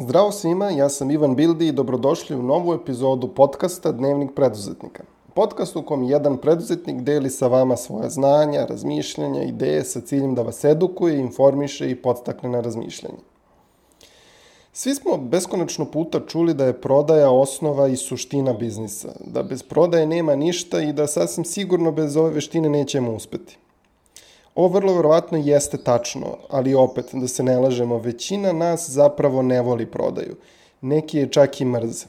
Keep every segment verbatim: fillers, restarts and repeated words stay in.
Zdravo svima, ja sam Ivan Bildi i dobrodošli u novu epizodu podcasta Dnevnik preduzetnika. Podcast u kom jedan preduzetnik deli sa vama svoje znanja, razmišljanja, ideje sa ciljem da vas edukuje, informiše i podstakne na razmišljanje. Svi smo beskonačno puta čuli da je prodaja osnova i suština biznisa, da bez prodaje nema ništa i da sasvim sigurno bez ove veštine nećemo uspeti. Ovo vrlo verovatno jeste tačno, ali opet, da se ne lažemo, većina nas zapravo ne voli prodaju. Neki je čak i mrze.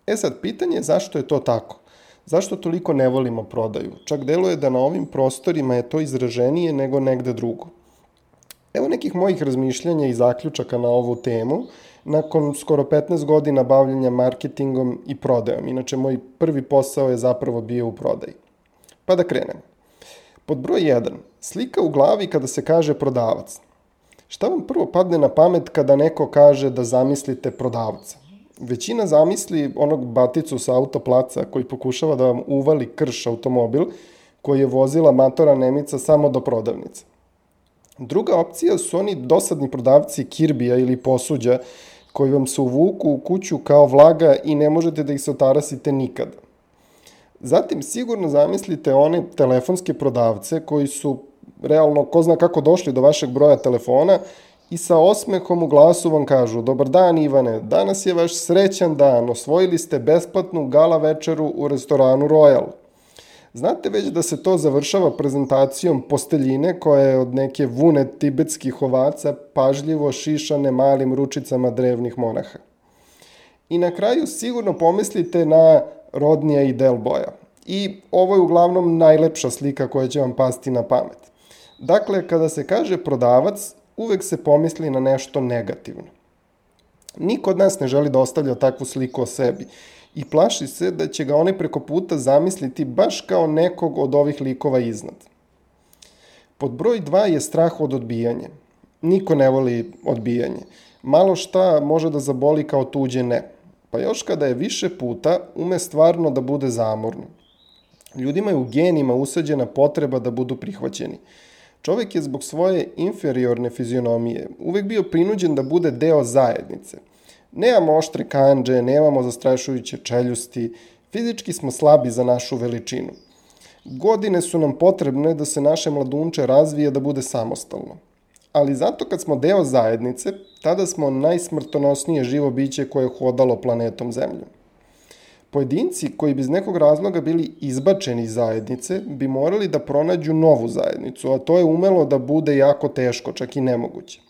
E sad, pitanje je zašto je to tako? Zašto toliko ne volimo prodaju? Čak deluje da na ovim prostorima je to izraženije nego negde drugo. Evo nekih mojih razmišljanja i zaključaka na ovu temu, nakon skoro petnaest godina bavljenja marketingom i prodajom. Inače, moj prvi posao je zapravo bio u prodaji. Pa da krenemo. Pod broj jedan. Slika u glavi kada se kaže prodavac. Šta vam prvo padne na pamet kada neko kaže da zamislite prodavca? Većina zamisli onog baticu sa autoplaca koji pokušava da vam uvali krš automobil koji je vozila matora Nemica samo do prodavnice. Druga opcija su oni dosadni prodavci kirbija ili posuđa koji vam se uvuku u kuću kao vlaga i ne možete da ih se otarasite nikada. Zatim sigurno zamislite one telefonske prodavce koji su realno ko zna kako došli do vašeg broja telefona i sa osmehom u glasu vam kažu: dobar dan Ivane, danas je vaš srećan dan, osvojili ste besplatnu gala večeru u restoranu Royal. Znate već da se to završava prezentacijom posteljine koja je od neke vune tibetskih ovaca pažljivo šišane malim ručicama drevnih monaha. I na kraju sigurno pomislite na Rodnija i Delboja. I ovo je uglavnom najlepša slika koja će vam pasti na pamet. Dakle, kada se kaže prodavac, uvek se pomisli na nešto negativno. Niko od nas ne želi da ostavlja takvu sliku o sebi i plaši se da će ga one preko puta zamisliti baš kao nekog od ovih likova iznad. Pod broj dva je strah od odbijanja. Niko ne voli odbijanje. Malo šta može da zaboli kao tuđe ne. Pa još kada je više puta, ume stvarno da bude zamorno. Ljudima je u genima usađena potreba da budu prihvaćeni. Čovek je zbog svoje inferiorne fizionomije uvek bio prinuđen da bude deo zajednice. Nemamo oštre kandže, nemamo zastrašujuće čeljusti, fizički smo slabi za našu veličinu. Godine su nam potrebne da se naše mladunče razvije da bude samostalno. Ali zato kad smo deo zajednice, tada smo najsmrtonosnije živo biće koje je hodalo planetom Zemljom. Pojedinci koji bi iz nekog razloga bili izbačeni iz zajednice bi morali da pronađu novu zajednicu, a to je umelo da bude jako teško, čak i nemoguće.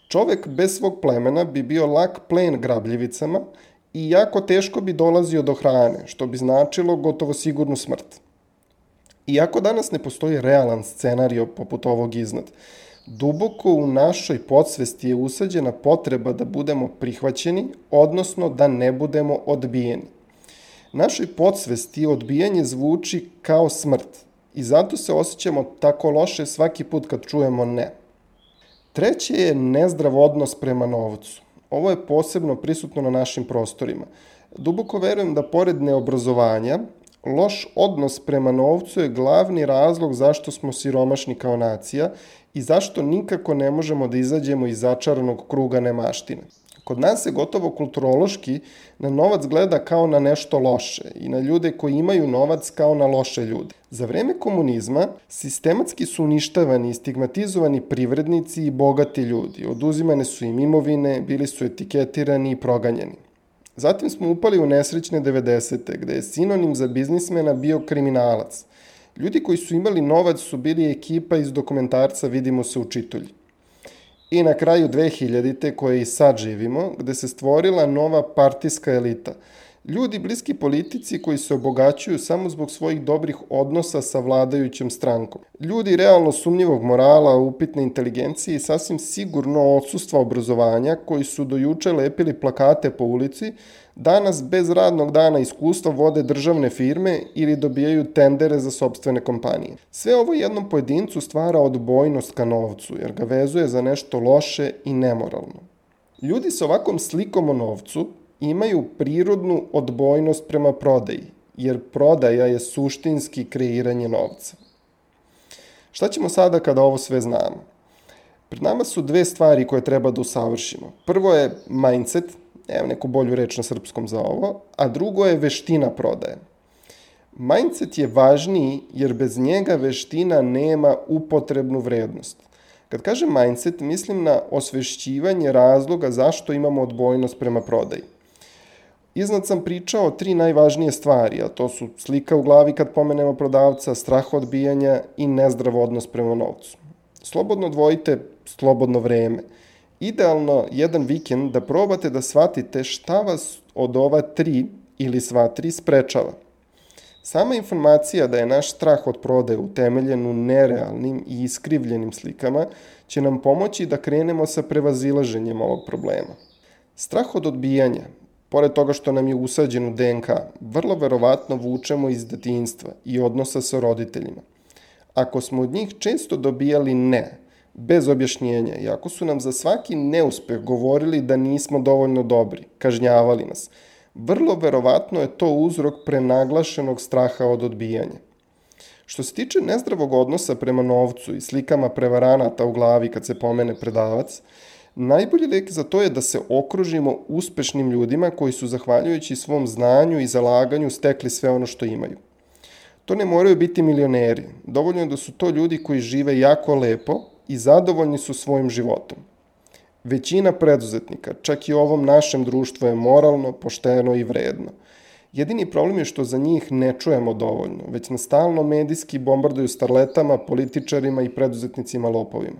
Čovek bez svog plemena bi bio lak plen grabljivicama i jako teško bi dolazio do hrane, što bi značilo gotovo sigurnu smrt. Iako danas ne postoji realan scenario poput ovog iznad, duboko u našoj podsvesti je usađena potreba da budemo prihvaćeni, odnosno da ne budemo odbijeni. Našoj podsvesti odbijanje zvuči kao smrt i zato se osjećamo tako loše svaki put kad čujemo ne. Treće je nezdrav odnos prema novcu. Ovo je posebno prisutno na našim prostorima. Duboko verujem da pored neobrazovanja, loš odnos prema novcu je glavni razlog zašto smo siromašni kao nacija i zašto nikako ne možemo da izađemo iz začaranog kruga nemaštine. Kod nas se gotovo kulturološki na novac gleda kao na nešto loše i na ljude koji imaju novac kao na loše ljude. Za vreme komunizma sistematski su uništavani i stigmatizovani privrednici i bogati ljudi. Oduzimane su im imovine, bili su etiketirani i proganjani. Zatim smo upali u nesrećne devedesete, gde je sinonim za biznismena bio kriminalac. Ljudi koji su imali novac su bili ekipa iz dokumentarca Vidimo se u Čitulji. I na kraju dve hiljadite koje i sad živimo, gde se stvorila nova partijska elita. Ljudi bliski politici koji se obogaćuju samo zbog svojih dobrih odnosa sa vladajućom strankom. Ljudi realno sumnjivog morala, upitne inteligencije i sasvim sigurno odsustva obrazovanja koji su do juče lepili plakate po ulici, danas bez radnog dana iskustva vode državne firme ili dobijaju tendere za sopstvene kompanije. Sve ovo jednom pojedincu stvara odbojnost ka novcu, jer ga vezuje za nešto loše i nemoralno. Ljudi sa ovakvom slikom o novcu imaju prirodnu odbojnost prema prodaji, jer prodaja je suštinski kreiranje novca. Šta ćemo sada kada ovo sve znamo? Pred nama su dve stvari koje treba da usavršimo. Prvo je mindset, nemam neku bolju reč na srpskom za ovo, a drugo je veština prodaje. Mindset je važniji jer bez njega veština nema upotrebnu vrednost. Kad kažem mindset, mislim na osvešćivanje razloga zašto imamo odbojnost prema prodaji. Iznad sam pričao o tri najvažnije stvari, a to su slika u glavi kad pomenemo prodavca, strah odbijanja i nezdrav odnos prema novcu. Slobodno odvojite slobodno vreme. Idealno jedan vikend da probate da shvatite šta vas od ova tri ili sva tri sprečava. Sama informacija da je naš strah od prodaje utemeljen u nerealnim i iskrivljenim slikama će nam pomoći da krenemo sa prevazilaženjem ovog problema. Strah od odbijanja, pored toga što nam je usađen u de en ka, vrlo verovatno vučemo iz detinjstva i odnosa sa roditeljima. Ako smo od njih često dobijali ne, bez objašnjenja, i ako su nam za svaki neuspeh govorili da nismo dovoljno dobri, kažnjavali nas, vrlo verovatno je to uzrok prenaglašenog straha od odbijanja. Što se tiče nezdravog odnosa prema novcu i slikama prevaranata u glavi kad se pomene predavac, najbolji lek za to je da se okružimo uspešnim ljudima koji su zahvaljujući svom znanju i zalaganju stekli sve ono što imaju. To ne moraju biti milioneri, dovoljno je da su to ljudi koji žive jako lepo i zadovoljni su svojim životom. Većina preduzetnika, čak i u ovom našem društvu, je moralno, pošteno i vredno. Jedini problem je što za njih ne čujemo dovoljno, već nas stalno medijski bombarduju starletama, političarima i preduzetnicima lopovima.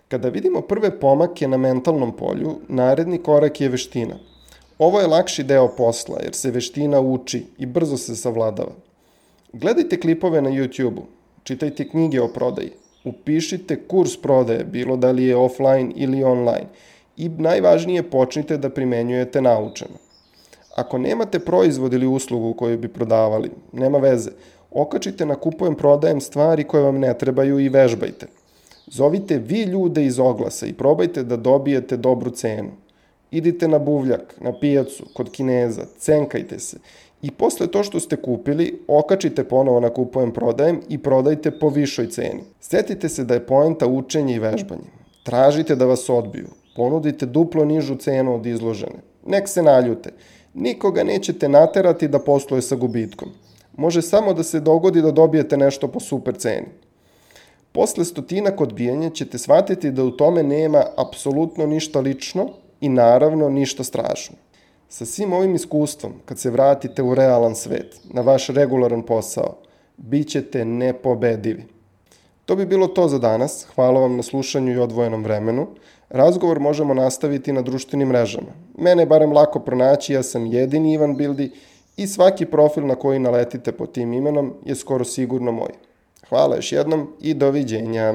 Kada vidimo prve pomake na mentalnom polju, naredni korak je veština. Ovo je lakši deo posla jer se veština uči i brzo se savladava. Gledajte klipove na YouTube-u, čitajte knjige o prodaji, upišite kurs prodaje, bilo da li je offline ili online, i najvažnije počnite da primenjujete naučeno. Ako nemate proizvod ili uslugu koju bi prodavali, nema veze, okačite na kupujem prodajem stvari koje vam ne trebaju i vežbajte. Zovite vi ljude iz oglasa i probajte da dobijete dobru cenu. Idite na buvljak, na pijacu, kod Kineza, cenkajte se i posle to što ste kupili, okačite ponovo na kupujem prodajem i prodajte po višoj ceni. Sjetite se da je poenta učenje i vežbanje. Tražite da vas odbiju. Ponudite duplo nižu cenu od izložene. Nek se naljute. Nikoga nećete naterati da posluje sa gubitkom. Može samo da se dogodi da dobijete nešto po super ceni. Posle stotinak odbijanja ćete shvatiti da u tome nema apsolutno ništa lično i naravno ništa strašno. Sa svim ovim iskustvom, kad se vratite u realan svet, na vaš regularan posao, bit ćete nepobedivi. To bi bilo to za danas. Hvala vam na slušanju i odvojenom vremenu. Razgovor možemo nastaviti na društvenim mrežama. Mene je barem lako pronaći, ja sam jedini Ivan Bildi i svaki profil na koji naletite pod tim imenom je skoro sigurno moj. Hvala još jednom i doviđenja.